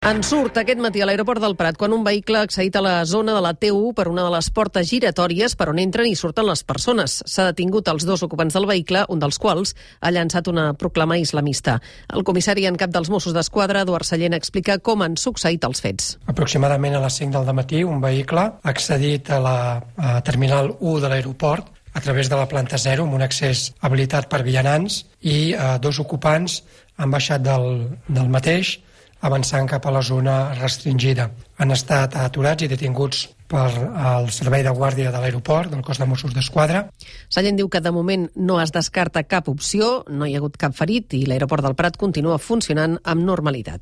En surt aquest matí a l'aeroport del Prat quan un vehicle ha accedit a la zona de la T1 per una de les portes giratòries per on entren i surten les persones. S'ha detingut els dos ocupants del vehicle, un dels quals ha llançat una proclama islamista. El comissari en cap dels Mossos d'Esquadra, Eduard Sallent, explica com han succeït els fets. Aproximadament a les 5 del matí, un vehicle ha accedit a la terminal 1 de l'aeroport a través de la planta 0 amb un accés habilitat per vianants i dos ocupants han baixat del mateix avançant cap a la zona restringida. Han estat aturats i detinguts per el servei de guàrdia de l'aeroport, del cos de Mossos d'Esquadra. Sallent diu que de moment no es descarta cap opció, no hi ha hagut cap ferit i l'aeroport del Prat continua funcionant amb normalitat.